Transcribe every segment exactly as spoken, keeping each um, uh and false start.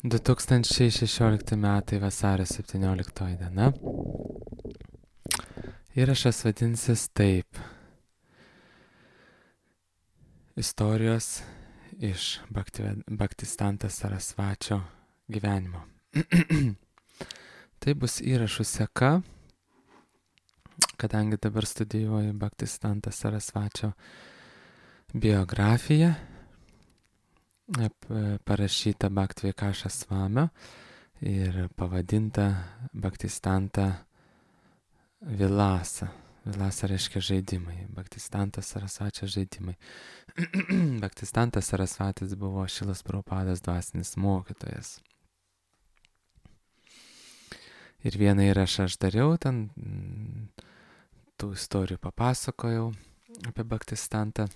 du tūkstančiai šešiolikti metai vasario septynioliktoji diena. Įrašas vadinsis taip. Istorijos iš Bhaktivedanta Sarasvačio gyvenimo. Tai bus įrašų seka, kadangi dabar studijuoju Bhaktivedanta Sarasvačio biografiją, parašyta Bhaktivikaša Svamio ir pavadinta Bhaktivedanta Vilasa. Vilasa reiškia žaidimai. Bhaktivedantas Sarasvačio žaidimai. Bhaktivedantas Sarasvatis buvo Šilos Prabhupados dvasinis mokytojas. Ir vieną įrašą aš dariau, ten tų istorijų papasakojau apie Bhaktivedantą.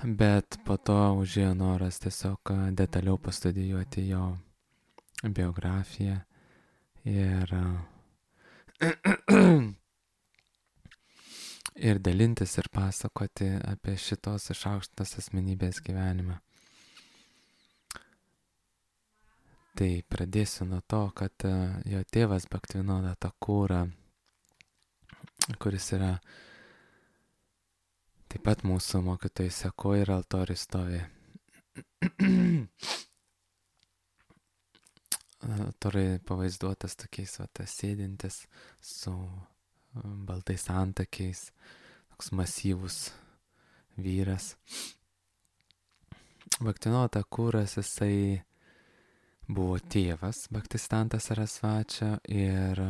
Bet po to užėjo noras tiesiog detaliau pastudijuoti jo biografiją ir ir dalintis ir pasakoti apie šitos išaukštintos asmenybės gyvenimą. Tai pradėsiu nuo to, kad jo tėvas Bhaktivinoda Thakura, kuris yra taip pat mūsų mokytojų sekoj ir altoriui stovi. Altoriui pavaizduotas tokiais va, sėdintis su baltais antakiais, toks masyvus vyras. Bhaktivinoda Thakuras, jisai buvo tėvas Bhaktivedanta Sarasvačio ir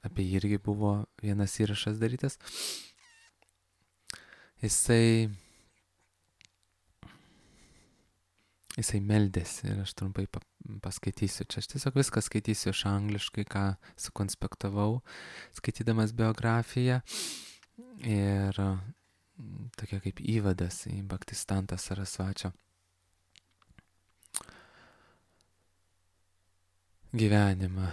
apie jį irgi buvo vienas įrašas darytas. Jisai, jisai meldėsi ir aš trumpai paskaitysiu. Čia aš tiesiog viską skaitysiu iš angliškai, ką sukonspektavau, skaitydamas biografiją. Ir tokia kaip įvadas į Bhaktivedanta Sarasvačio gyvenimą.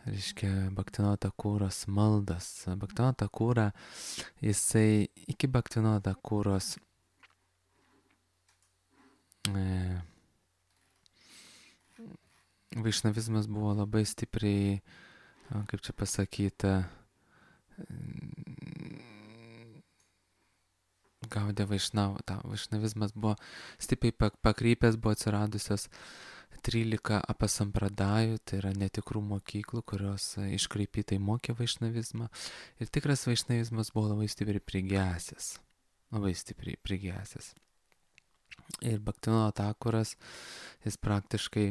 Reiškia Bhaktivinoda Thakuros maldas. Bhaktivinoda Thakura, jisai iki Bhaktivinoda Thakuros e, vaišnavizmas buvo labai stipriai, kaip čia pasakyta, gaudė vaišnavą. Vaišnavizmas buvo stipriai pakrypęs, buvo atsiradusios trylika apasampradajų, tai yra netikrų mokyklų, kurios iškreipytai mokė vaišnavizmą. Ir tikras vaišnavizmas buvo labai stipriai prigesęs. Labai stipriai prigesęs. Ir Bhaktivinoda Thakuras, jis praktiškai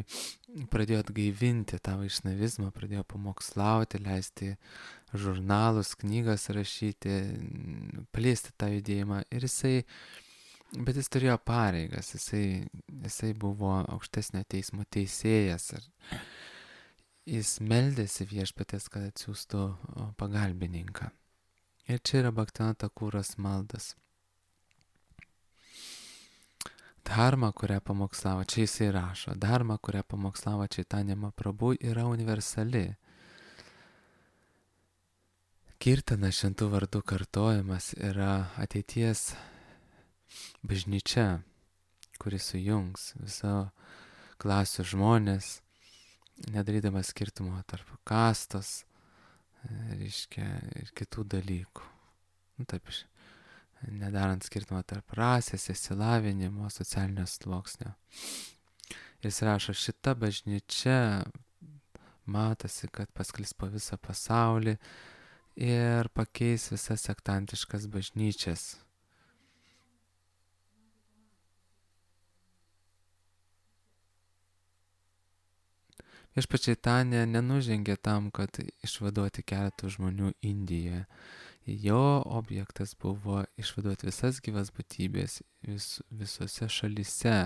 pradėjo atgaivinti tą vaišnavizmą, pradėjo pamokslauti, leisti žurnalus, knygas rašyti, plėsti tą judėjimą. Ir jisai Bet jis turėjo pareigas, jisai, jisai buvo aukštesnio teismo teisėjas ir jis meldėsi viešpaties, kad atsiųstų pagalbininką. Ir čia yra Bhaktivinoda Thakuros maldas. Dharma, kurią pamokslavo, čia jisai rašo, dharma, kurią pamokslavo Chaitanya Mahaprabhu, yra universali. Kirtana šventų vardų kartojimas yra ateities bažnyčia, kuris sujungs viso klasių žmonės, nedarydamas skirtumo tarp kastos, reiškia, ir kitų dalykų. Nu, taip, nedarant skirtumo tarp rasės, išsilavinimo, socialinio sluoksnio. Jis rašo, šita bažnyčia matosi, kad pasklis po visą pasaulį ir pakeis visas sektantiškas bažnyčias. Viešpats Chaitanya nenužengė tam, kad išvaduoti keletų žmonių Indijoje. Jo objektas buvo išvaduoti visas gyvas būtybės vis, visose šalyse,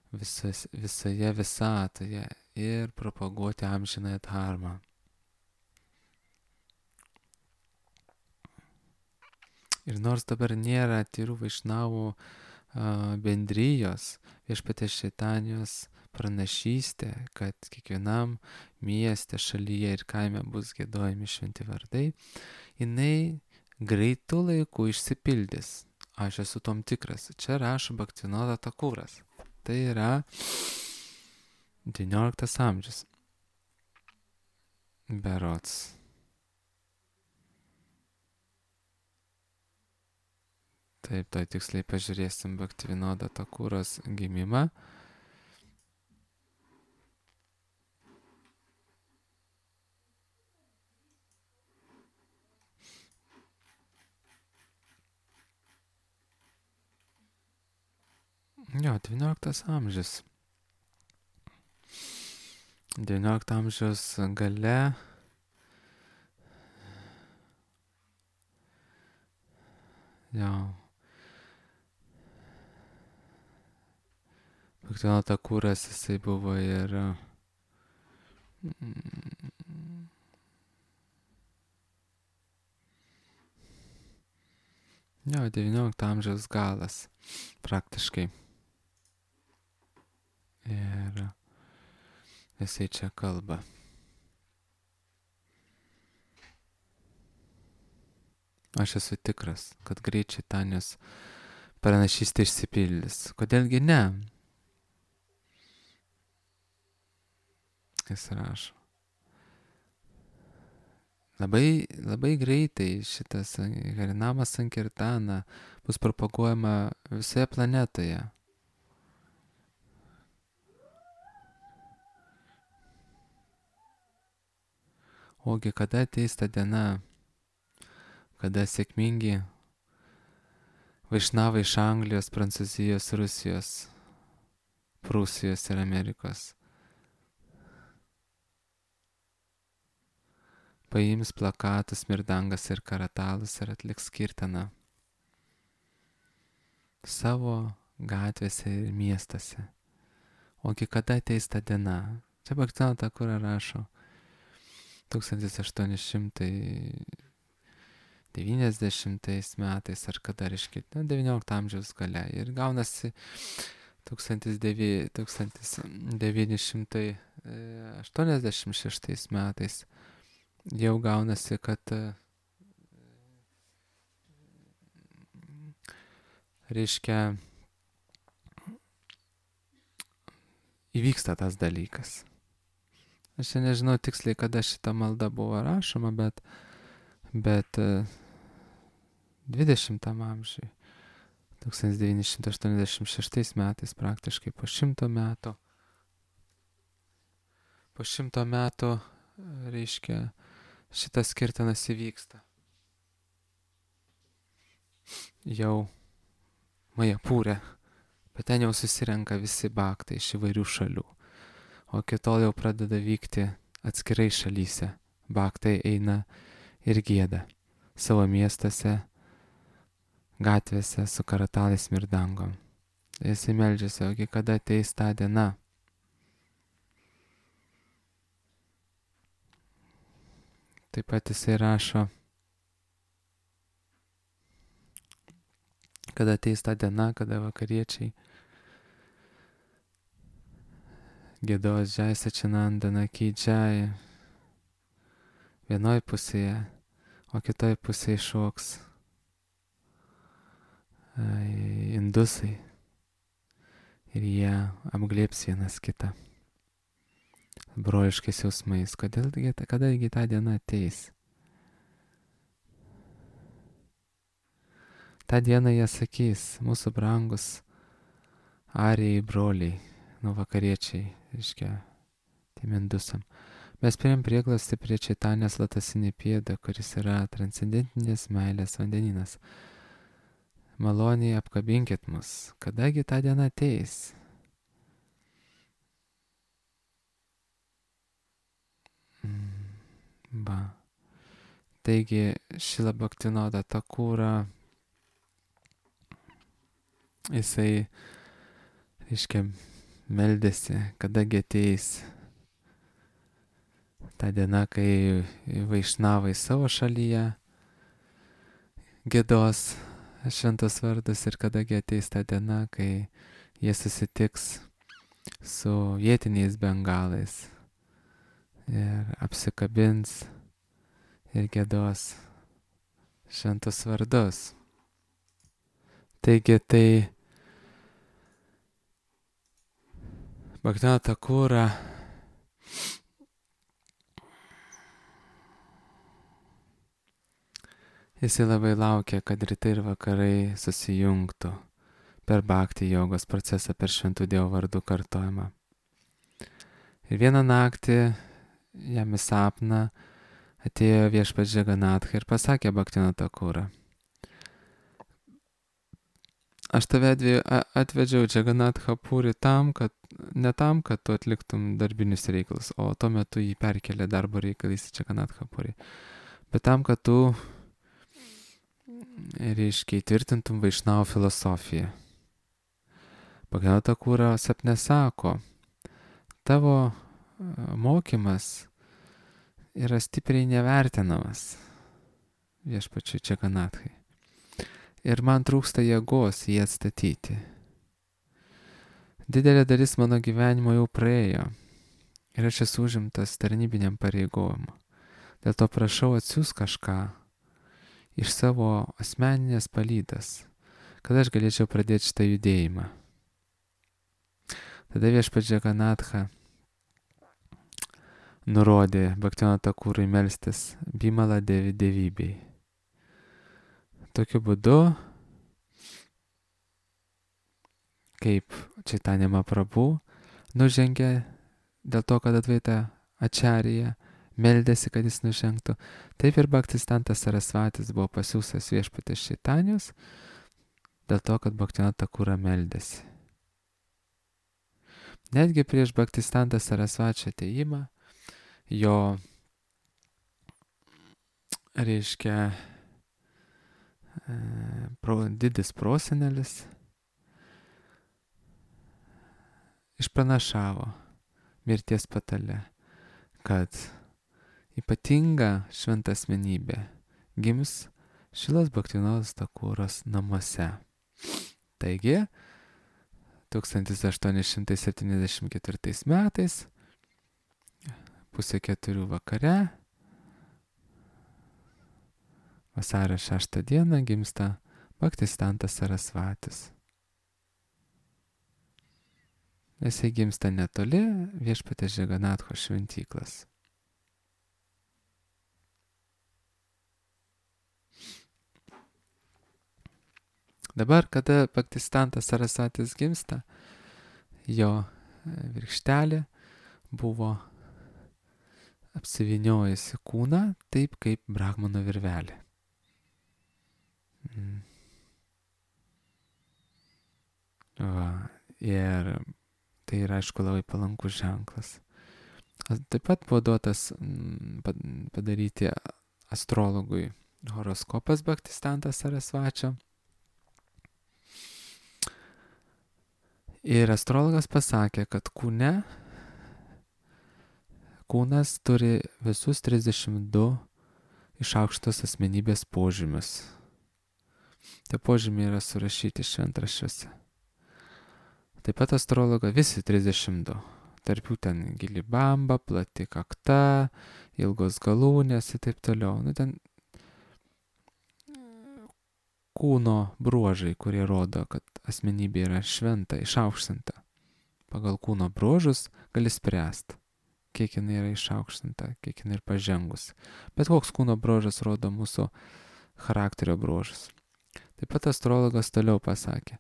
visas, visoje visatoje ir propaguoti amžinąją dharmą. Ir nors dabar nėra tyrų vaišnavų bendrijos, viešpaties Chaitanijos pranašystė, kad kiekvienam mieste, šalyje ir kaime bus giedojami šventi vardai, jinai greitų laikų išsipildys. Aš esu tom tikras. Čia rašo Bhaktivinoda Thakuras. Tai yra devynioliktas amžius. Berods. Taip, to tiksliai pažiūrėsim Bhaktivinoda Thakuros gimimą. Jo, devynioliktas amžius. devyniolikto amžiaus gale jo Bhaktivinoda Thakuras jisai buvo ir jo, devyniolikto amžiaus galas praktiškai. Ir jisai čia kalba. Aš esu tikras, kad greit Čaitanijos pranašystė išsipildys. Kodėlgi ne? Jis rašo. Labai, labai greitai šitas Harinama Sankirtana bus propaguojama visoje planetoje. Ogi kada ateis ta diena, kada sėkmingi vaišnavai iš Anglijos, Prancūzijos, Rusijos, Prūsijos ir Amerikos paims plakatus, mirdangas ir karatalus ir atliks kirtaną savo gatvėse ir miestuose. Ogi kada ateis ta diena? Čia Bhaktivinoda Thakura rašo tūkstantis aštuoni šimtai devyniasdešimtais metais ar kada, reiškia, devyniolikto amžiaus gale. Ir gaunasi tūkstantis devyni šimtai aštuoniasdešimt šeštais metais jau gaunasi, kad reiškia įvyksta tas dalykas. Aš nežinau tiksliai, kada šita malda buvo rašoma, bet, bet dvidešimtam amžiui, tūkstantis devyni šimtai aštuoniasdešimt šeštais metais, praktiškai po šimto metų, po šimto metų, reiškia, šitas kirtanas įvyksta. Jau Majapūre, bet ten jau susirenka visi bhaktai iš įvairių šalių. O kitol jau pradeda vykti atskirai šalyse. Bhaktai eina ir gieda savo miestuose, gatvėse su karatalais mirdangom. Jisai meldžiasi, ogi kada ateis ta diena. Taip pat jisai rašo, kada ateis ta diena, kada vakariečiai giedos Jai Sačinandana Ki Jai vienoj pusėje, o kitoj pusėje šoks indusai ir jie apglėps vienas kitą broliškais jausmais. Kodėl, kadagi ta diena ateis? Ta diena jie sakys, mūsų brangus arijai broliai, nu vakariečiai, reiškia, tiem indusam. Mes priėm prieglastį prie Čaitanijos lotosinį pėdą, kuris yra transcendentinės meilės vandenynas. Maloniai apkabinkit mus, kadagi ta diena ateis? Ba. Taigi, Šrila Bhaktivinoda Thakura, jisai, reiškia, meldėsi, kadagi ateis ta diena, kai vaišnavai savo šalyje giedos šventos vardus ir kadagi ateis ta diena, kai jie susitiks su vietiniais bengalais ir apsikabins ir giedos šventus vardus. Taigi tai Bhaktivinoda Thakura jisai labai laukia, kad rytai ir vakarai susijungtų per bhakti jogos procesą, per šventų Dievo vardų kartojimą. Ir vieną naktį jam į sapną atėjo viešpats Džaganatha ir pasakė Bhaktivinoda Thakura: aš tave atvedžiau Džaganatha Puri tam, kad, ne tam, kad tu atliktum darbinius reikalus, o tuo metu jį perkelė darbo reikalais į Džaganatha Puri, bet tam, kad tu, reiškia, įtvirtintum Vaišnavų filosofiją. Bhaktivinoda Thakura sapne sako: tavo mokymas yra stipriai nevertinamas viešpačiui Džaganathai. Ir man trūksta jėgos jį atstatyti. Didelė dalis mano gyvenimo jau praėjo ir aš esu užimtas tarnybiniam pareigojimu. Dėl to prašau, atsiųsk kažką iš savo asmeninės palydas, kad aš galėčiau pradėti šitą judėjimą. Tada viešpats Džaganatha nurodė Bhaktivinoda Thakurui melstis Bimala Devi dievybei. Tokiu būdu, kaip Chaitanya Mahaprabhu nužengė dėl to, kad Advaita Acharya meldėsi, kad jis nužengtų, taip ir Bhaktisiddhanta Sarasvatis buvo pasiųstas viešpatės Chaitanijos dėl to, kad Bhaktivinoda Thakura meldėsi. Netgi prieš Bhaktisiddhanta Sarasvačio atėjimą jo, reiškia, pro, didis prosenelis išpranašavo mirties patale, kad ypatinga šventa asmenybė gims Šilos Bhaktivinodos Thakuros namuose. Taigi, tūkstantis aštuoni šimtai septyniasdešimt ketvirtais metais, pusė keturių vakare, vasario šeštą dieną gimsta Bhaktisiddhantas Sarasvatis. Jisai gimsta netoli viešpatės Džaganathos šventyklas. Dabar, kada Bhaktisiddhantas Sarasvatis gimsta, jo virkštelė buvo apsivyniojusi kūną taip kaip brahmano virvelė. Mm. Va, ir tai yra, aišku, labai palankus ženklas. Taip pat buvo duotas padaryti astrologui horoskopas Bhaktisiddhanta Sarasvačio. Ir astrologas pasakė, kad kūne, kūnas turi visus trisdešimt du išaukštos asmenybės požymius. Tie požymiai yra surašyti šventraščiuose. Taip pat astrologo visi trisdešimt du. Tarp jų ten gili bamba, plati kakta, ilgos galūnės ir taip toliau. Nu, ten kūno bruožai, kurie rodo, kad asmenybė yra šventa, išaukštinta. Pagal kūno bruožus gali spręsti, kiek jinai yra išaukštinta, kiek jinai yra pažengus. Bet koks kūno bruožas rodo mūsų charakterio bruožus. Taip pat astrologas toliau pasakė: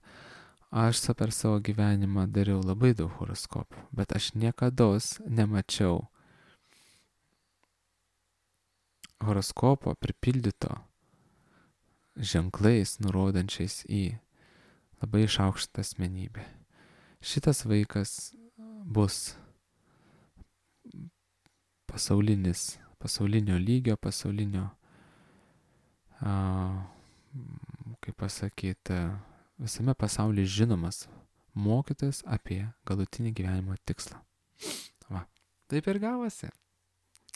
aš per savo gyvenimą dariau labai daug horoskopų, bet aš niekados nemačiau horoskopo pripildyto ženklais, nurodančiais į labai išaukštą asmenybę. Šitas vaikas bus pasaulinis, pasaulinio lygio, pasaulinio, a, kaip pasakyti, visame pasaulyje žinomas mokytojas apie galutinį gyvenimo tikslą. Va, taip ir gavosi.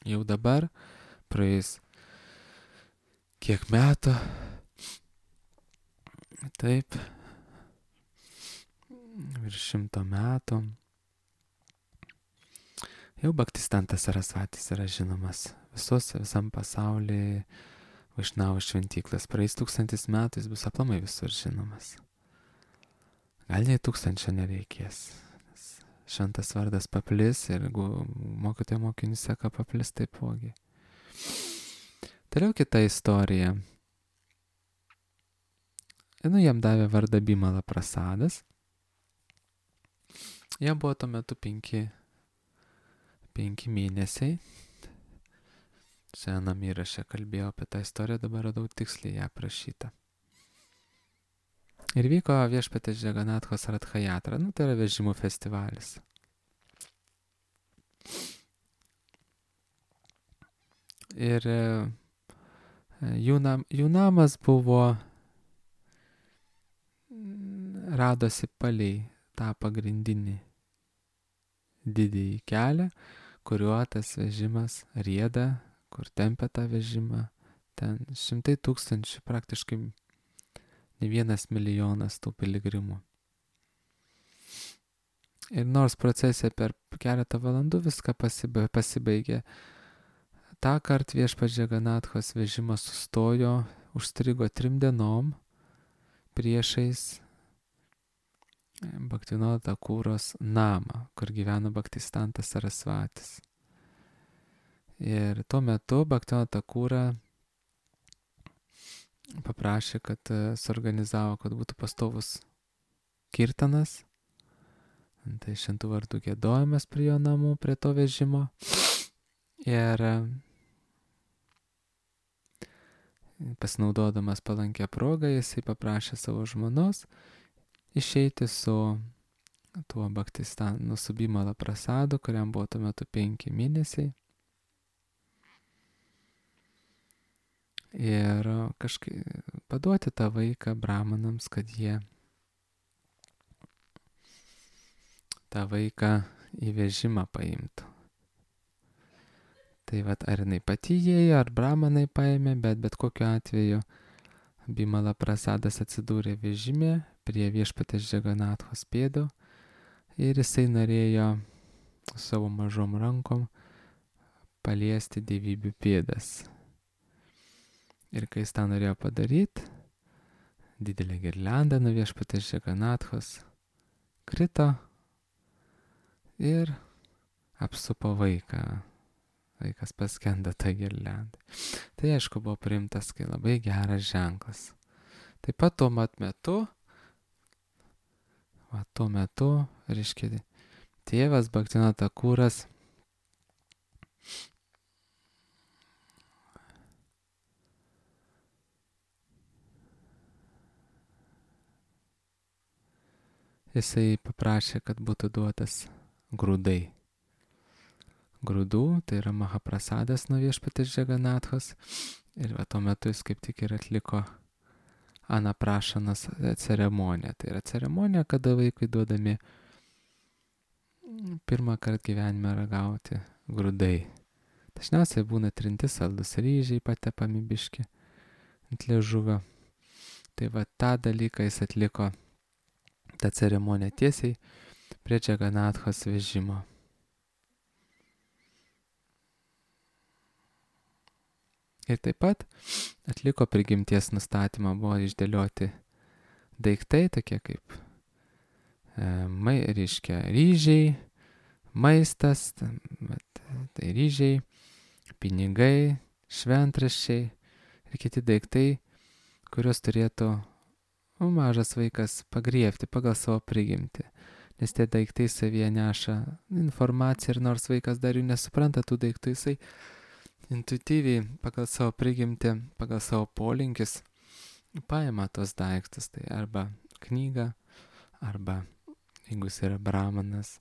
Jau dabar praeis kiek metų, taip, virš šimto metų, jau Bhaktisiddhantas Sarasvatis yra žinomas visos, visam pasaulyje, Vaišnavų šventyklas. Praeis tūkstantis metų jis bus aplamai visur žinomas. Gal nei tūkstančio nereikės. šventas vardas paplis ir jeigu mokytojo mokinių seka paplis taipogi. Toliau kita istorija. Nu, jam davė vardą Bimala Prasadas. Jam buvo tuo metu penki, penki mėnesiai. Senam įraše kalbėjau apie tą istoriją, dabar radau tiksliai ją aprašytą. Ir vyko viešpatės Džaganathos Ratha Jatra, nu tai yra vežimų festivalis. Ir jų, nam, jų namas buvo, radosi palei tą pagrindinį didįjį kelią, kuriuo tas vežimas rieda, kur tempia tą vežimą. Ten šimtai tūkstančių, praktiškai ne vienas milijonas tų piligrimų. Ir nors procesija per keletą valandų viską pasibaigė, pasibaigė tą kartą viešpats Džaganathos vežimas sustojo, užstrigo trim dienom priešais Bhaktivinoda Thakūros namą, kur gyveno Bhaktistantas Sarasvatis. Ir tuo metu Bhaktivinoda Thakūra paprašė, kad suorganizavo, kad būtų pastovus kirtanas, tai šventų vardų giedojimas prie jo namų, prie to vežimo. Ir pasinaudodamas palankę progą, jisai paprašė savo žmonos išeiti su tuo Bhaktistanu, su Bimala Prasadu, kuriam buvo tuo metu penki mėnesiai. Ir kažkaip paduoti tą vaiką brahmanams, kad jie tą vaiką į vežimą paimtų. Tai vat, ar jinai pati įėjo, ar brahmanai paėmė, bet bet kokiu atveju Bimala Prasadas atsidūrė vežime prie viešpatės Džaganathos pėdų ir jisai norėjo savo mažom rankom paliesti dievybių pėdas. Ir kai jis tą norėjo padaryti, didelė girlianda nuo viešpatės Džaganathos krito ir apsupo vaiką. Vaikas paskendo tą girliandą. Tai aišku buvo priimtas kai labai geras ženklas. Taip pat tuo mat metu, va, tuo metu, reiškia, tėvas Bhaktivinoda Thakūras jisai paprašė, kad būtų duotas grūdai. Grūdų, tai yra Mahaprasadas nuo viešpatės Džaganathos. Ir va, tuo metu jis kaip tik ir atliko anaprašanos ceremoniją. Tai yra ceremonija, kada vaikui duodami pirmą kartą gyvenime ragauti grūdai. Dažniausiai būna trinti saldus ryžiai patepami biški ant liežuvio. Tai va, tą dalyką jis atliko, tą ceremoniją tiesiai prie Džaganathos vežimo. Ir taip pat atliko prigimties nustatymą, buvo išdėlioti daiktai, tokie kaip e, mai, reiškia, ryžiai, maistas, tai ryžiai, pinigai, šventraščiai ir kiti daiktai, kuriuos turėtų nu, mažas vaikas pagriebti pagal savo prigimtį. Nes tie daiktai savyje neša informaciją ir nors vaikas dar jų nesupranta tų daiktų, jisai intuityviai pagal savo prigimtį, pagal savo polinkis paima tos daiktus. Tai arba knygą, arba jeigu jis yra brahmanas,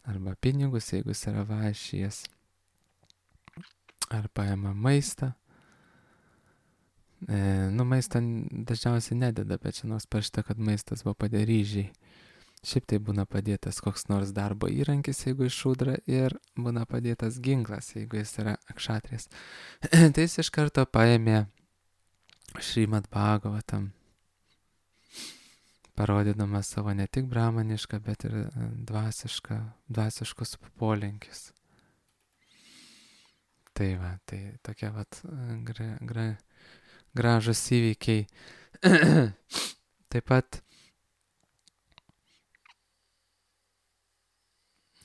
arba pinigus, jeigu jis yra vaišijas, ar paima maistą. E, nu, maistą dažniausiai nededa, bet čia nors parašyta, kad maistas buvo padėję ryžiai. Šiaip tai būna padėtas koks nors darbo įrankis, jeigu iš šūdra, ir būna padėtas ginklas, jeigu jis yra akšatrės. Tai jis iš karto paėmė Šrimad Bhagavatam, parodydamas savo ne tik brahmanišką, bet ir dvasišką, dvasiškus polinkius. Tai va, tai tokie vat gra, gra, gražus įvykiai. Taip pat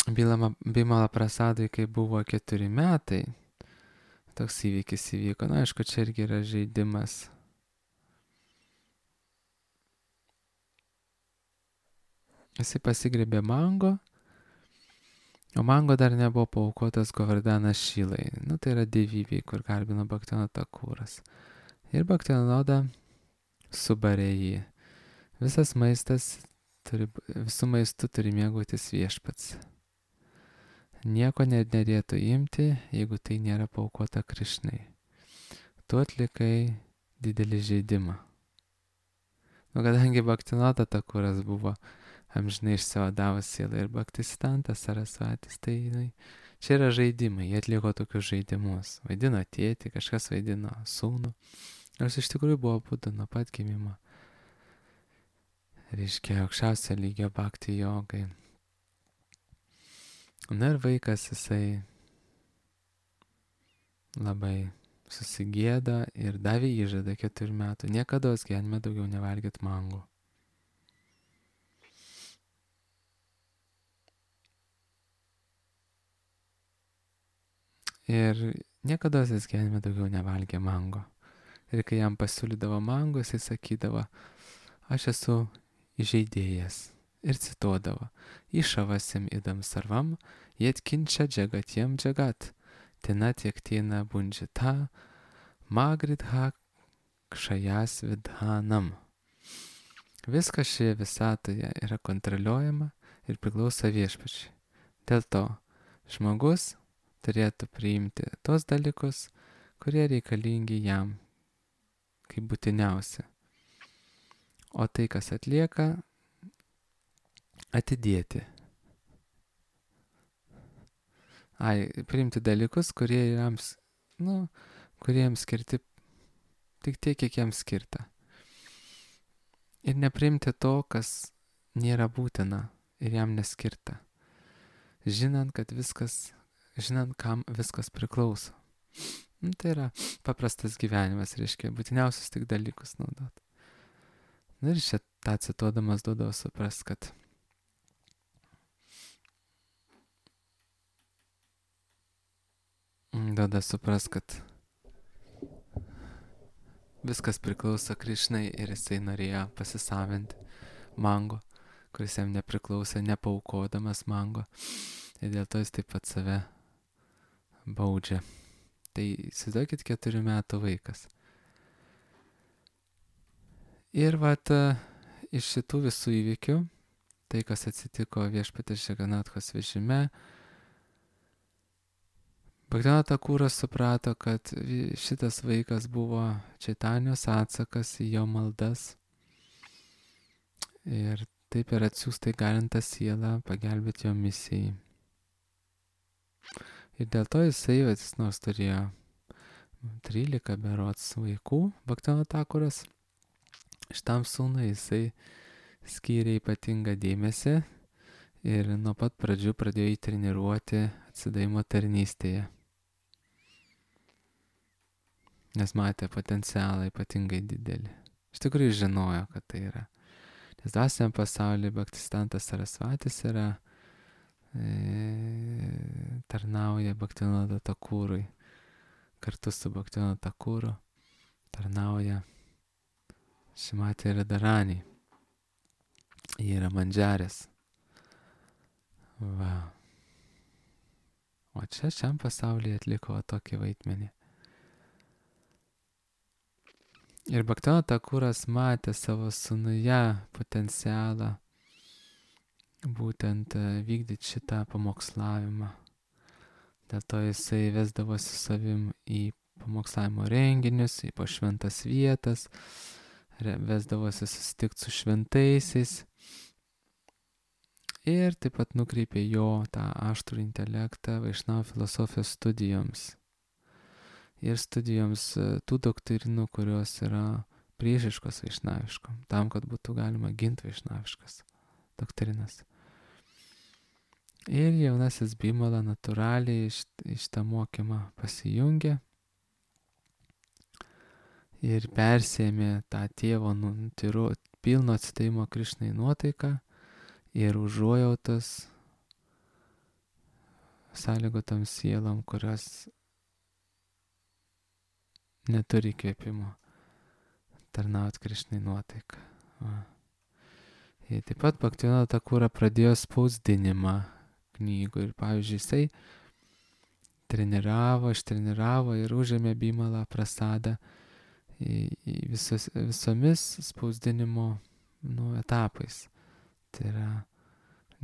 Bimala Prasadui, kai buvo keturi metai, toks įvykis įvyko. Na, aišku, čia irgi yra žaidimas. Jisai pasigrėbė mango, o mango dar nebuvo paaukotas Govardanas Šilai. Nu, tai yra dievybė, kur garbino Bhaktivinoda Thakuras. Ir Bhaktivinoda subarė jį. Visas maistas, turi, visų maistų turi mėgautis viešpats. Nieko nedėtų imti, jeigu tai nėra paaukota Krišnai. Tu atlikai didelį žaidimą. Nu, kadangi Bhaktivinoda Thakuras buvo amžinai išsivadavęs sielą ir Bhaktisiddhanta Sarasvatis, tai jinai, čia yra žaidimai, jie atliko tokius žaidimus. Vaidino tėtį, kažkas vaidino sūnų. Nors iš tikrųjų buvo būtų nuo pat gimimo. Reiškia, aukščiausio lygio bhakti jogai. Na ir vaikas jisai labai susigėdo ir davė įžadą keturių metų. Niekada gyvenime daugiau nevalgyt mango. Ir niekada jis gyvenime daugiau nevalgė mango. Ir kai jam pasiūlydavo mango, jisai sakydavo, aš esu įžeidėjas. Ir cituodavo, išavasim idam sarvam, jetkinčia džagatiem džagat, tena tiektina bunžita, magridha kšajas vidhanam. Viskas šioje visatoje yra kontroliuojama ir priklauso viešpačiui. Dėl to žmogus turėtų priimti tos dalykus, kurie reikalingi jam, kaip būtiniausia. O tai, kas atlieka, atidėti. Ai, priimti dalykus, kurie jiems, nu, kurie jiems skirti tik tiek, kiek jiems skirta. Ir nepriimti to, kas nėra būtina ir jam neskirta. Žinant, kad viskas, žinant, kam viskas priklauso. Nu, tai yra paprastas gyvenimas, reiškia, būtiniausius tik dalykus naudot. Na ir čia tą cituodamas duodavo supras, kad duoda supras, kad viskas priklauso Krišnai ir jisai norėjo pasisavinti mango, kuris jam nepriklausė, nepaukodamas mango. Ir dėl to jis taip pat save baudžia. Tai įsivaizduokit keturių metų vaikas. Ir vat iš šitų visų įvykių, tai kas atsitiko Viešpaties Džaganathos vežime, Bhaktivinoda Thakuras suprato, kad šitas vaikas buvo Čaitanijos atsakas į jo maldas ir taip ir atsiųstai galintą sielą pagelbėti jo misijai. Ir dėl to jisai, jis nors turėjo trylika berods vaikų, Bhaktivinoda Thakuras, šitam sūnui jisai skyrė ypatingą dėmesį ir nuo pat pradžių pradėjo jį treniruoti atsidavimo tarnystėje. Nes matė potencialą ypatingai didelį. Iš tikrųjų žinojo, kad tai yra. Nes dvasiniam pasaulyje Bhaktisiddhantas Sarasvatis yra, e, tarnauja Bhaktivinoda Thakurui. Kartu su Bhaktivinoda Thakuru tarnauja Šrimati Radharani. Jie yra mandžarės. Va. O čia šiam pasaulyje atliko tokį vaidmenį. Ir Bhaktivinoda Thakuras matė savo sūnuje potencialą būtent vykdyti šitą pamokslavimą. Dėl to jisai vesdavosi savim į pamokslavimo renginius, į pašventas vietas, vesdavosi susitikti su šventaisiais ir taip pat nukreipė jo tą aštrų intelektą Vaišnava filosofijos studijoms. Ir studijoms tų doktrinų, kurios yra priešiškos vaišnaviškom, tam, kad būtų galima ginti vaišnaviškas doktrinas. Ir jaunasis Bimala natūraliai iš, iš tą mokymą pasijungė ir persėmė tą tėvo nu, tyru, pilno atsidavimo Krišnai nuotaiką ir užuojautos sąlygotom sielom, kurios neturi įkvėpimo tarnaut Krišnai nuotaiką. Va. Ir taip pat Bhaktivinoda Thakura pradėjo spausdinimą knygų ir, pavyzdžiui, jisai treniravo, ištreniravo ir užėmė Bimalą Prasadą į, į visos, visomis spausdinimo nu, etapais. Tai yra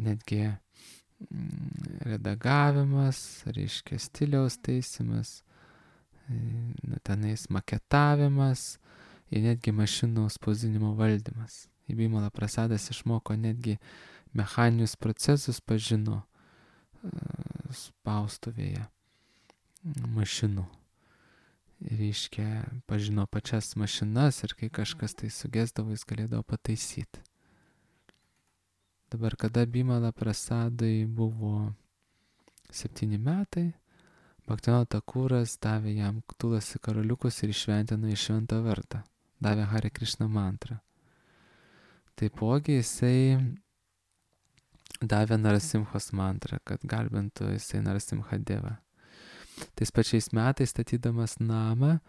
netgi mm, redagavimas, reiškia stiliaus taisymas, nu, tenais maketavimas ir netgi mašinų spausdinimo valdymas. Į Bimalą Prasadas išmoko netgi mechaninius procesus, pažino spaustuvėje mašinų. Reiškia, pažino pačias mašinas ir kai kažkas tai sugesdavo, jis galėdavo pataisyti. Dabar, kada Bimala Prasadai buvo septyni metai, Bhaktivinoda Thakuras davė jam tulasi karoliukus ir išventino į šventą vardą. Davė Hare Krishna mantrą. Taipogi jisai davė Narasimhos mantrą, kad garbintų jisai Narasimha Devą. Tais pačiais metais, statydamas namą,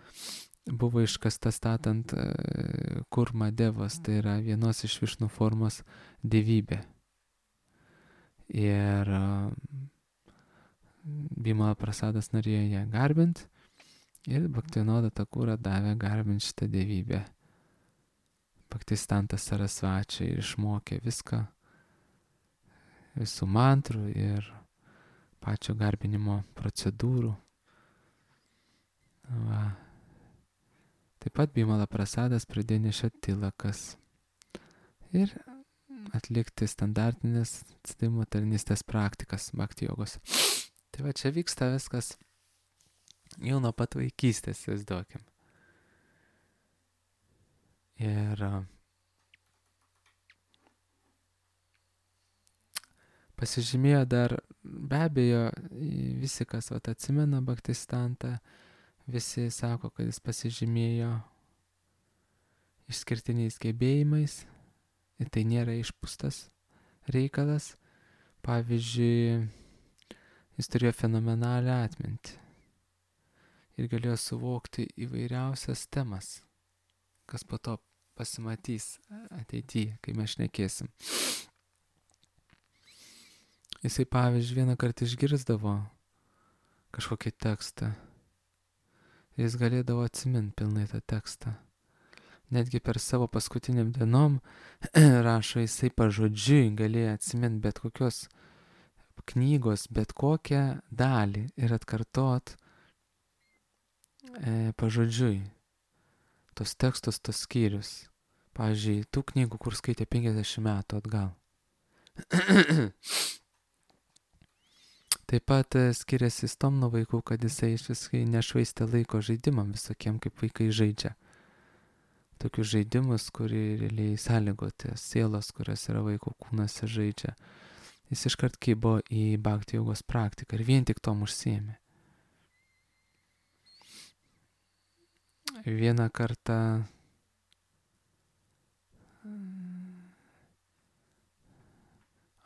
buvo iškasta statant Kurma Devos, tai yra vienos iš Višnu formos dievybė. Ir Bimala Prasadas norėjo ją garbinti ir Bhaktivinoda Thakura davė garbinti šitą dievybę. Bhaktistantas Sarasvačiai ir išmokė viską, visų mantrų ir pačio garbinimo procedūrų. Va. Taip pat Bimala Prasadas pradėjo nešioti tilakas ir atlikti standartinės atsidavimo tarnystės praktikas bhakti jogos. Tai va, čia vyksta viskas jau nuo pat vaikystės, įsivaizduokim. Ir pasižymėjo dar, be abejo, visi, kas vat, atsimena Bhaktistantą, visi sako, kad jis pasižymėjo išskirtiniais gebėjimais ir tai nėra išpūstas reikalas. Pavyzdžiui, jis turėjo fenomenalią atmintį ir galėjo suvokti įvairiausias temas, kas po to pasimatys ateityje, kai mes šnekėsim. Jisai, pavyzdžiui, vieną kartą išgirsdavo kažkokį tekstą. Jis galėdavo atsiminti pilnai tą tekstą. Netgi per savo paskutiniam dienom rašo, jisai pažodžiui galėjo atsiminti bet kokios knygos, bet kokią dalį ir atkartot e, pažodžiui tos tekstus, tos skyrius. Pavyzdžiui, tų knygų, kur skaitė penkiasdešimt metų atgal. Taip pat skiriasi jis tom nuo vaikų, kad jisai iš viskai nešvaistė laiko žaidimam visokiem, kaip vaikai žaidžia. Tokius žaidimus, kurie realiai sąlygoti sielos, kurios yra vaiko kūnuose žaidžia. Jis iškart kibo į bhakti jogos praktiką ir vien tik tom užsiėmė. Vieną kartą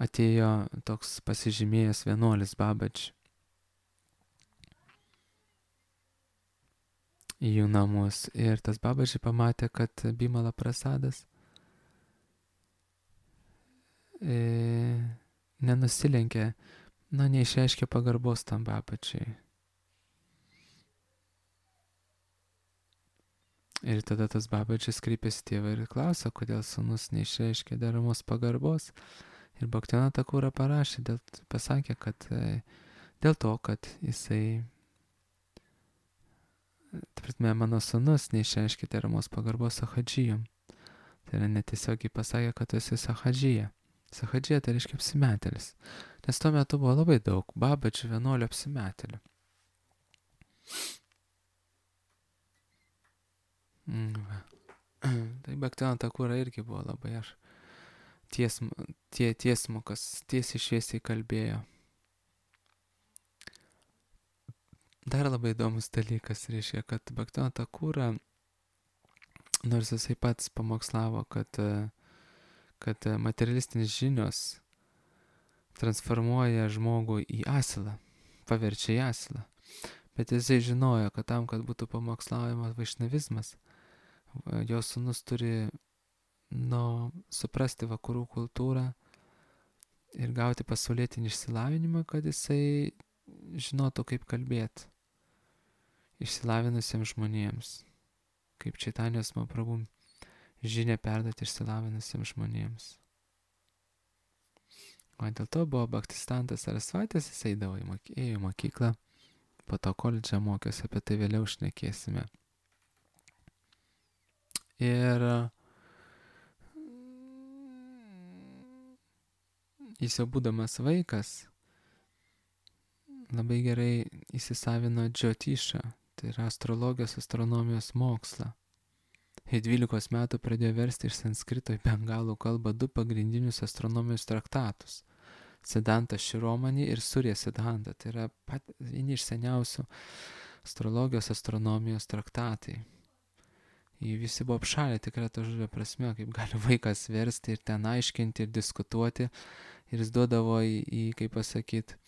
atėjo toks pasižymėjęs vienuolis Babač į jų namus ir tas Babačiai pamatė, kad Bimala Prasadas e, nenusilenkė, na, neišreiškė pagarbos tam Babačiai. Ir tada tas Babačiais kreipėsi tėvą ir klausė, kodėl sūnus neišreiškė deramos pagarbos. Ir Bhaktivinoda Thakura parašė, dėl, pasakė, kad e, dėl to, kad jisai, tarptime, mano sūnus neišreiškė deramos pagarbos sahadžijom. Tai yra netiesiogiai pasakė, kad tu esi sahadžija. Sahadžija tai reiškia apsimetėlis. Nes tuo metu buvo labai daug Babačių vienuolių apsimetėlių. Mm. Tai Bhaktivinoda Thakura irgi buvo labai aš tiesm, tie, tiesmukas, tiesiai šviesiai kalbėjo. Dar labai įdomus dalykas reiškia, kad Bhaktivinoda Thakura, nors jisai pats pamokslavo, kad, kad materialistinis žinios transformuoja žmogų į asilą. paverčia į asilą. Bet jisai žinojo, kad tam, kad būtų pamokslaujamas vaišnavizmas, jo sūnus turi nu, suprasti vakarų kultūrą ir gauti pasaulietinį išsilavinimą, kad jisai žinotų, kaip kalbėti išsilavinusiems žmonėms, kaip Čaitanijos Mahaprabhu žinia perduoti išsilavinusiems žmonėms. O dėl to buvo Bhaktistantas Sarasvatis, jis eidavo į moky- ėjo į mokyklą, po to koledžą mokėsi, apie tai vėliau šnekėsime. Ir jis jau būdamas vaikas labai gerai įsisavino džiotišą, tai yra astrologijos, astronomijos mokslą. Ir dvylikos metų pradėjo versti iš sanskrito į bengalų kalbą du pagrindinius astronomijos traktatus – Siddhanta Shiromani ir Surya Siddhanta. Tai yra pat, vieni iš seniausių astrologijos, astronomijos traktatai. Jie visi buvo apšalę tikrą to žodžio prasme, kaip gali vaikas versti ir ten aiškinti ir diskutuoti. Ir jis duodavo į, į kaip pasakyti,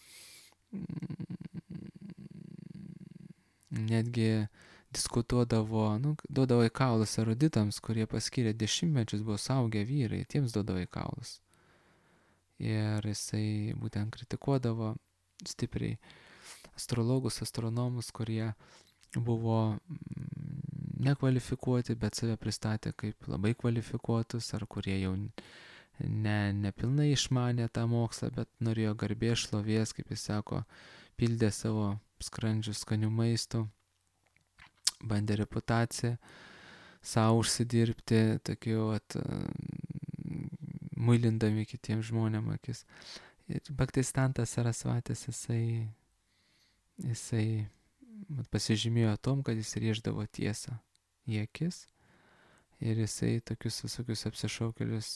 netgi diskutuodavo, nu, duodavo į kaulus eruditams, kurie paskyrė dešimtmečius, buvo saugę vyrai, tiems duodavo į kaulus. Ir jisai būtent kritikuodavo stipriai astrologus, astronomus, kurie buvo nekvalifikuoti, bet save pristatė kaip labai kvalifikuotus, ar kurie jau ne, nepilnai išmanė tą mokslą, bet norėjo garbės, šlovės, kaip jis sako, pildė savo skrandžius skanių maistų, bandė reputaciją savo užsidirbti, tokiu, at, muilindami kitiems žmonėms akis. Ir Bhaktistantas Sarasvatis, jisai, jisai at, pasižymėjo tom, kad jis rėždavo tiesą į akis ir jisai tokius visokius apsišaukėlius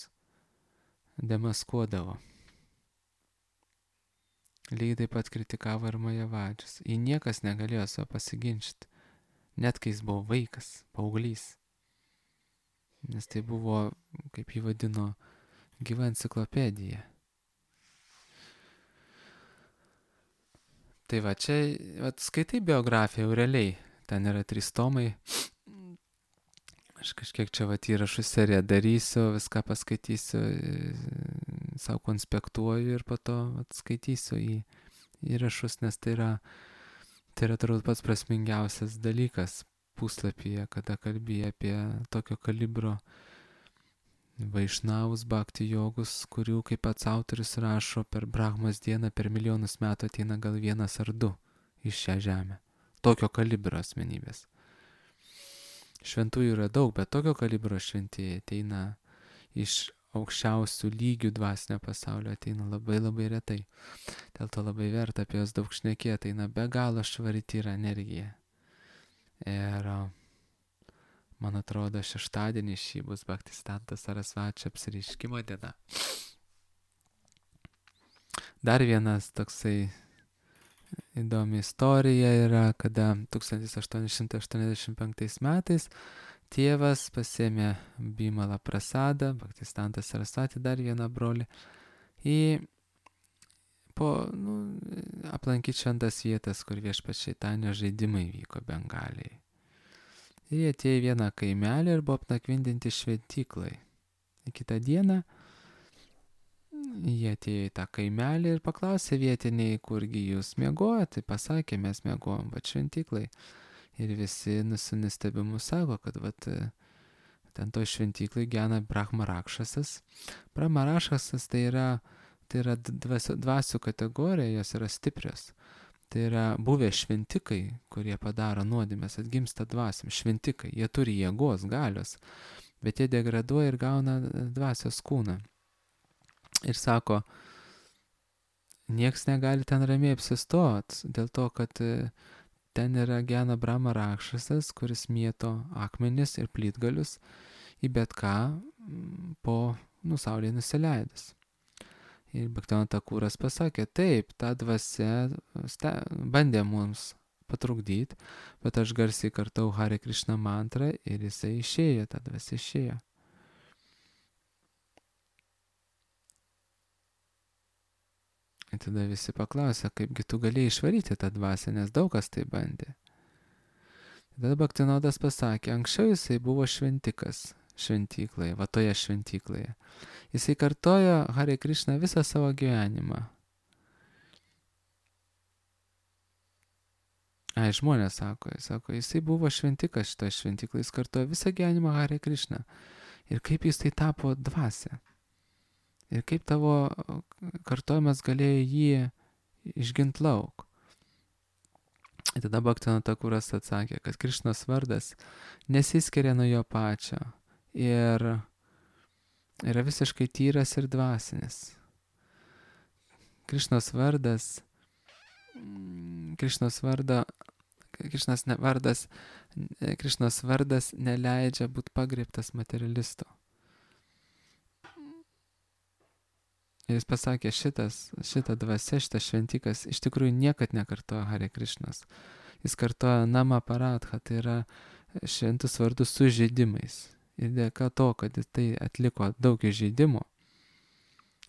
demaskuodavo. Lygiai taip pat kritikavo ir Majavadžius. Į niekas negalėjo savo pasiginčyti, net kai jis buvo vaikas, paauglys. Nes tai buvo, kaip jį vadino, gyva enciklopedija. Tai va, čia vat, skaitai biografiją jau realiai. Ten yra trys tomai. Aš kažkiek čia vat, įrašų seriją darysiu, viską paskaitysiu, savo konspektuoju ir po to vat, skaitysiu į įrašus, nes tai yra, tai yra turbūt pats prasmingiausias dalykas puslapyje, kada kalbėjo apie tokio kalibro vaišnavus, bhakti jogus, kurių, kaip pats autorius rašo, per Brahmos dieną per milijonus metų ateina gal vienas ar du iš šią žemę. Tokio kalibro asmenybės. Šventųjų yra daug, bet tokio kalibro šventieji ateina iš aukščiausių lygių dvasinio pasaulio, ateina labai labai retai. Dėl to labai verta apie jos daug šnekėti, ateina be galo švari tyra energija. Ir man atrodo, šeštadienį šį bus Bhaktistantas Sarasvačio apsireiškimo diena. Dar vienas toksai įdomi istorija yra, kada tūkstantis aštuoni šimtai aštuoniasdešimt penktais metais tėvas pasėmė Bimala Prasadą, Bhaktistantas Sarasvati, dar vieną brolį, į po, nu, aplankyti šventas vietas, kur viešpats Čaitanijos žaidimai vyko Bengalijai. Ir jie atėjo į vieną kaimelį ir buvo apnakvindinti šventyklai. Į kitą dieną jie atėjo į tą kaimelį ir paklausė vietiniai, kurgi jūs miegojate. Tai pasakė, mes miegojom, va šventyklai. Ir visi nusistebimu sako, kad vat, ten to šventyklai gyvena Brahma Rakšasas. Brahma Rakšasas tai yra, tai yra dvasių, dvasių kategorija, jos yra stiprios. Tai yra buvę šventikai, kurie padaro nuodėmes, atgimsta dvasiam. Šventikai, jie turi jėgos, galios, bet jie degraduoja ir gauna dvasios kūną. Ir sako, nieks negali ten ramiai apsistot, dėl to, kad ten yra gyvena Brahma Rakšasas, kuris mėto akmenis ir plytgalius į bet ką po nu, saulėje nusileidus. Ir Bhaktivinoda Thakuras pasakė, taip, ta dvasia sta, bandė mums patrukdyti, bet aš garsiai kartau Hare Krishna mantrą ir jisai išėjo, ta dvasia išėjo. Ir tada visi paklausė, kaipgi tu galėjai išvaryti tą dvasią, nes daug kas tai bandė. Tada Bhaktivinodas pasakė, anksčiau jisai buvo šventikas šventykloje, va toje šventykloje. Jisai kartojo Hare Krishna visą savo gyvenimą. Ai, žmonės sako, jis sako, jisai buvo šventikas šitoje šventykloje, jis kartojo visą gyvenimą Hare Krishna. Ir kaip jis tai tapo dvasia. Ir kaip tavo kartojimas galėjo jį išgint lauk. Ir tada Bhaktivinodas Thakuras atsakė, kad Krišnos vardas nesiskiria nuo jo pačio ir yra visiškai tyras ir dvasinis. Krišnos vardas, Krišnos vardo, Krišnos vardas, Krišnos vardas neleidžia būti pagriebtas materialisto. Ir jis pasakė, šitas, šita dvasia, šitas šventikas iš tikrųjų niekad nekartojo Hare Krishnos. Jis kartojo Nama Paradha, tai yra šventus vardus su žaidimais. Ir dėka to, kad jis tai atliko daug įžeidimų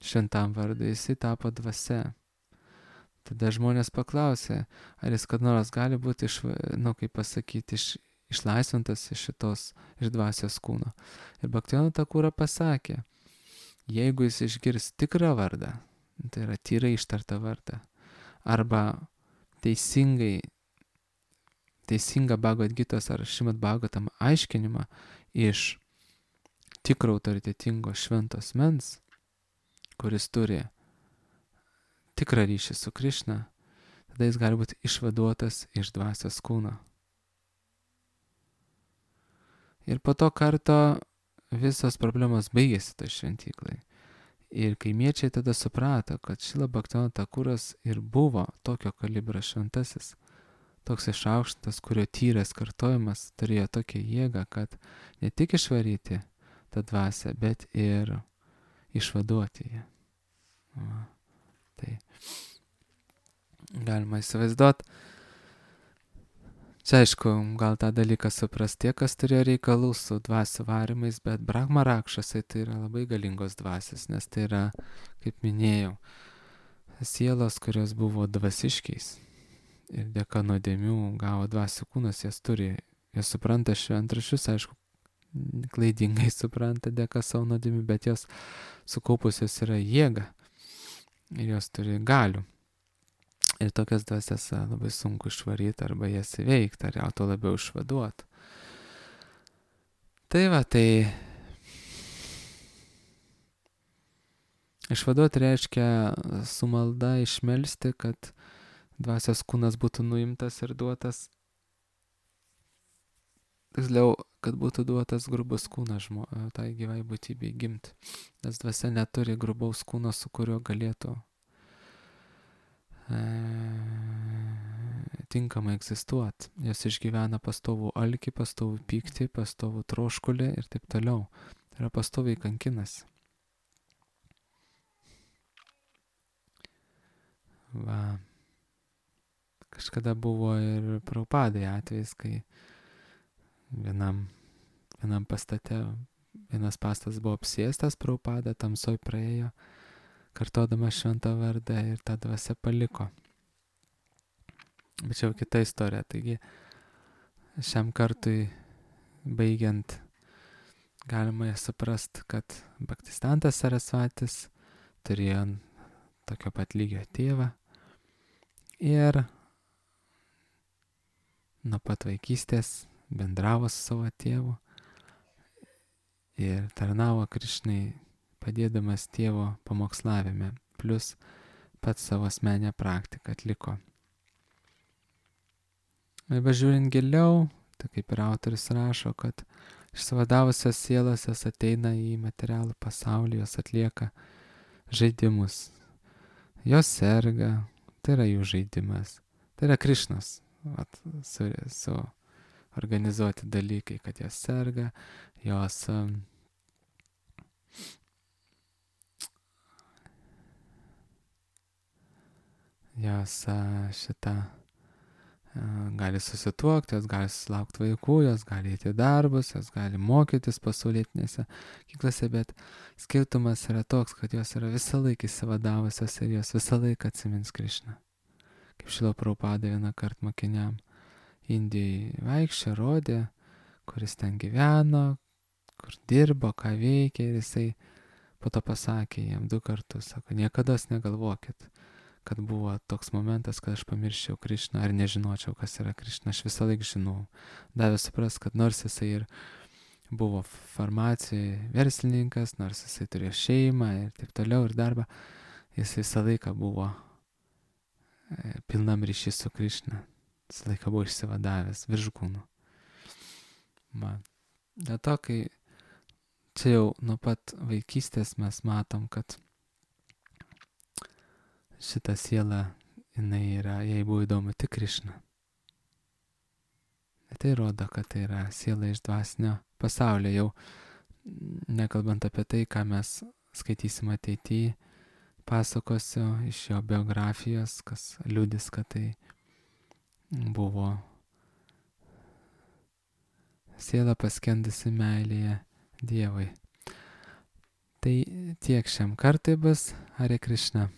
šventam vardui, jisai tapo dvasia. Tada žmonės paklausė, ar jis kad nors gali būti, iš, nu, kaip pasakyti, iš, išlaisvintas iš šitos, iš dvasios kūno. Ir Bhaktivinodas Thakura pasakė, jeigu jis išgirs tikrą vardą, tai yra tyrai ištartą vardą, arba teisingai, teisingą Bhagavad Gitos ar Šrimad Bhagavatam aiškinimą iš tikro autoritetingo švento asmens, kuris turi tikrą ryšį su Krišna, tada jis gali būti išvaduotas iš dvasios kūno. Ir po to karto visos problemos baigėsi toj šventyklai. Ir kaimiečiai tada suprato, kad Šrila Bhaktivinodas Thakuras ir buvo tokio kalibro šventasis, toks išaukštas, kurio tyras kartojimas turėjo tokią jėgą, kad ne tik išvaryti tą dvasią, bet ir išvaduoti ją. Va. Tai galima įsivaizduoti. Čia aišku, gal tą dalyką supras tie, kas turėjo reikalų su dvasių varimais, bet Brahma Rakšasai tai yra labai galingos dvasios, nes tai yra, kaip minėjau, sielos, kurios buvo dvasiškiais ir dėka nuodėmių gavo dvasių kūnas, jas turi, jas supranta šventraščius, aišku, klaidingai supranta dėka savo nuodėmių, bet jos sukaupusios yra jėga ir jos turi galių. Ir tokias dvasias labai sunku išvaryti arba jas įveikti, ar jau to labiau išvaduoti. Tai va, tai išvaduoti reiškia su malda išmelsti, kad dvasios kūnas būtų nuimtas ir duotas, tiksliau, kad būtų duotas grubus kūnas žmo, tai gyvai būtybei gimti. Nes dvasia neturi grubaus kūno, su kuriuo galėtų tinkamai egzistuoti. Jos išgyvena pastovų alkį, pastovų pyktį, pastovų troškulį ir taip toliau. Tai yra pastoviai kankinasi. Va. Kažkada buvo ir Prabhupadai atvejis, kai vienam, vienam pastate, vienas pastas buvo apsėstas, Prabhupada tamsoj praėjo, kartodama šventą vardą ir tą dvasią paliko. Bet čia jau kita istorija. Taigi šiam kartui baigiant galima suprast, kad Bhaktistantas Sarasvatis turėjo tokio pat lygio tėvą ir nuo pat vaikystės bendravo su savo tėvu ir tarnavo Krišnai, padėdamas tėvo pamokslavime, plus pats savo asmenę praktiką atliko. Ir važiuojant giliau, tai kaip ir autorius rašo, kad išsivadavusios sielos jos ateina į materialų pasaulį, jos atlieka žaidimus. Jos serga, tai yra jų žaidimas. Tai yra Krišnos vat, su, su organizuoti dalykai, kad jos serga, jos jos šitą gali susituokti, jos gali susilaukti vaikų, jos gali eiti į darbus, jos gali mokytis pasaulietinėse mokyklose, bet skirtumas yra toks, kad jos yra visą laiką įsivadavusios ir jos visą laiką atsimins Krišną. Kaip Šrila Prabhupada vieną kartą mokiniam Indijai vaikščia, rodė, kuris ten gyveno, kur dirbo, ką veikė, ir jisai po to pasakė jam du kartus, sako, niekada negalvokit, kad buvo toks momentas, kad aš pamirščiau Krišną ar nežinočiau, kas yra Krišna. Aš visą laiką žinau. Davė supras, kad nors jisai ir buvo farmacijai verslininkas, nors jisai turėjo šeimą ir taip toliau ir darbą, jis visą laiką buvo pilnam ryšys su Krišna. Visą laiką buvo išsivadavęs virš kūnų. Man. Dėl to, kai čia jau nuo pat vaikystės mes matom, kad šita siela, jinai yra, jai buvo įdomu tik Krišna. Tai rodo, kad tai yra siela iš dvasinio pasaulio, jau nekalbant apie tai, ką mes skaitysim ateityje, pasakosiu iš jo biografijos, kas liudys, kad tai buvo siela paskendusi meilėje Dievui. Tai tiek šiam kartui bus. Hare Krishna.